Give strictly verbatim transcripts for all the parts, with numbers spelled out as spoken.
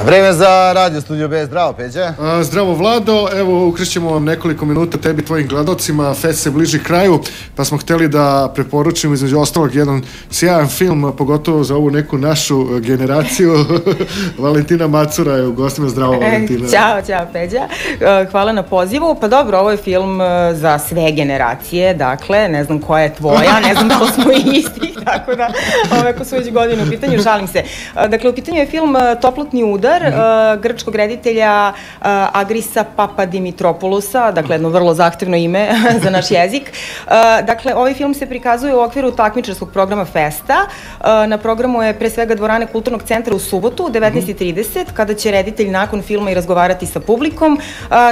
Vreme za Radio Studio B. Zdravo, Peđa. Zdravo, Vlado. Evo, ukrećemo vam nekoliko minuta tebi, tvojim gledalcima. Fest se bliži kraju, pa smo hteli da preporučimo između ostalog jedan sjajan film, pogotovo za ovu neku našu generaciju. Valentina Macura je u gostima. Zdravo, Valentina. Ćao, ćao, Peđa. Hvala na pozivu. Pa dobro, ovo je film za sve generacije, dakle, ne znam koja je tvoja, ne znam da li smo istih, tako da, ako su već godine u pitanju, šalim se. Dakle, u pitanju je film Toplotni udar, grčkog reditelja Agrisa Papadimitropoulusa, dakle jedno vrlo zahtevno ime za naš jezik. Dakle, ovaj film se prikazuje u okviru takmičarskog programa Festa. Na programu je pre svega dvorane Kulturnog centra u subotu u devetnaest i trideset, kada će reditelj nakon filma i razgovarati sa publikom,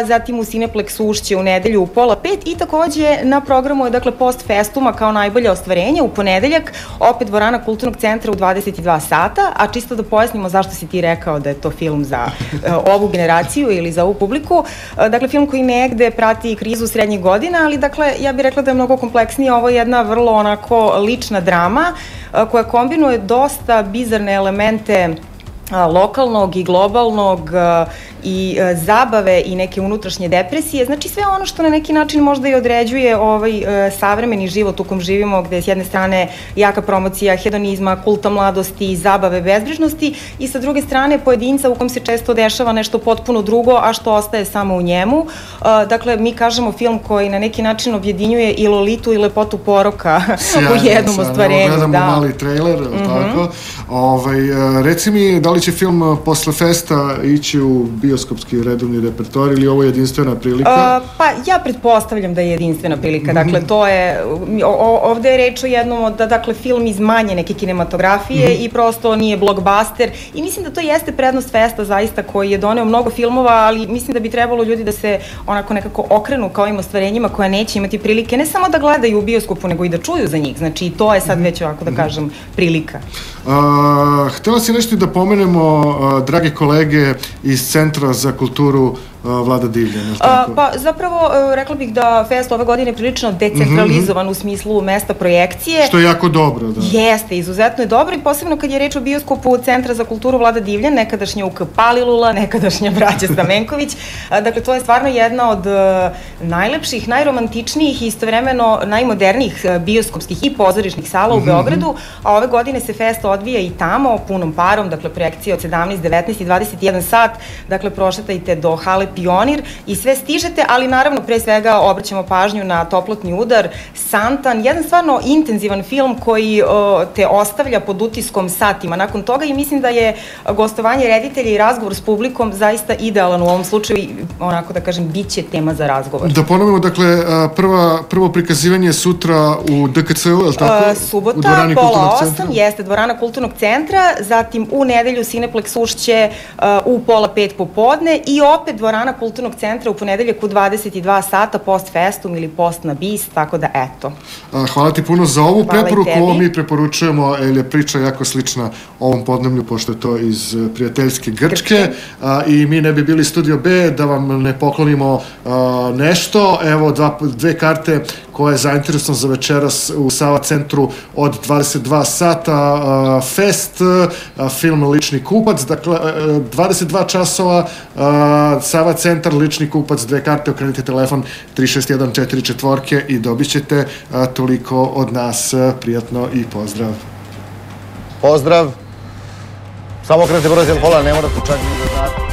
zatim u Cineplexu Ušće u nedelju u pola pet i takođe na programu je dakle post festuma kao najbolje ostvarenje u ponedeljak, opet dvorana Kulturnog centra u dvadeset i dva sata, a čisto da pojasnimo zašto si ti rekao da je to film za uh, ovu generaciju ili za ovu publiku. Uh, dakle, film koji negde prati krizu srednjih godina, ali dakle, ja bih rekla da je mnogo kompleksnije. Ovo je jedna vrlo onako lična drama uh, koja kombinuje dosta bizarne elemente uh, lokalnog i globalnog uh, i e, zabave i neke unutrašnje depresije, znači sve ono što na neki način možda i određuje ovaj e, savremeni život u kom živimo, gde je s jedne strane jaka promocija hedonizma, kulta mladosti, zabave, bezbrižnosti i sa druge strane pojedinca u kom se često dešava nešto potpuno drugo, a što ostaje samo u njemu. E, dakle, mi kažemo film koji na neki način objedinjuje i lolitu i lepotu poroka u jednom ostvarenju. Sjajno, gledamo mali trailer, tako. Ovaj, reci mi, da li će film posle festa ići u bioskopski redovni repertoar ili ovo je jedinstvena prilika? Uh, pa ja pretpostavljam da je jedinstvena prilika. Dakle, to je, o, ovde je reč o jednom, da, dakle, film iz manje neke kinematografije mm -hmm. i prosto nije blockbuster i mislim da to jeste prednost Festa zaista koji je doneo mnogo filmova, ali mislim da bi trebalo ljudi da se onako nekako okrenu kao ovim ostvarenjima koja neće imati prilike ne samo da gledaju u bioskopu, nego i da čuju za njih. Znači, i to je sad već ovako da kažem prilika. Uh, htela si nešto da pomenemo, uh, drage kolege iz Centra za kulturu Vlada Divljan, je li tako? Pa zapravo rekla bih da Fest ove godine je prilično decentralizovan u smislu mesta projekcije. Što je jako dobro, da. Jeste, izuzetno je dobro i posebno kad je reč o bioskopu Centra za kulturu Vlada Divljan, nekadašnja U K Palilula, nekadašnja braća Stamenković. Dakle, to je stvarno jedna od najlepših, najromantičnijih i istovremeno najmodernijih bioskopskih i pozorišnih sala u Beogradu, a ove godine se Fest odvija i tamo, punom parom, dakle projekcija od sedamnaest, devetnaest i dvadeset jedan sat, dakle prošetajte do hale Pionir i sve stižete, ali naravno pre svega obraćamo pažnju na Toplotni udar, Santan, jedan stvarno intenzivan film koji o, te ostavlja pod utiskom satima nakon toga i mislim da je gostovanje reditelja i razgovor s publikom zaista idealan u ovom slučaju i onako da kažem bit će tema za razgovor. Da ponovimo, dakle, prva, prvo prikazivanje je sutra u D K C U, je li tako? Subota, pola osam, jeste dvorana Kulturnog centra, zatim u nedelju Cineplex Ušće u pola pet popodne i opet dvorana Kulturnog centra u ponedeljak u dvadeset i dva sata post festum ili post na bis, tako da eto. Hvala ti puno za ovu preporuku. Ovo mi preporučujemo, jer je priča jako slična ovom podneblju, pošto je to iz prijateljske Grčke i mi ne bi bili Studio B da vam ne poklonimo nešto. Evo dva, dve karte koje je zainteresovan za večeras u Sava centru od dvadeset dva sata. Fest, film Lični kupac, dakle dvadeset dva časova, Sava centar, Lični kupac, dve karte, okrenite telefon tri šest jedan četiri četvorke i dobit ćete toliko od nas. Prijatno i pozdrav. Pozdrav. Samo okrenite broj telefona, ne morate čak ni da znate.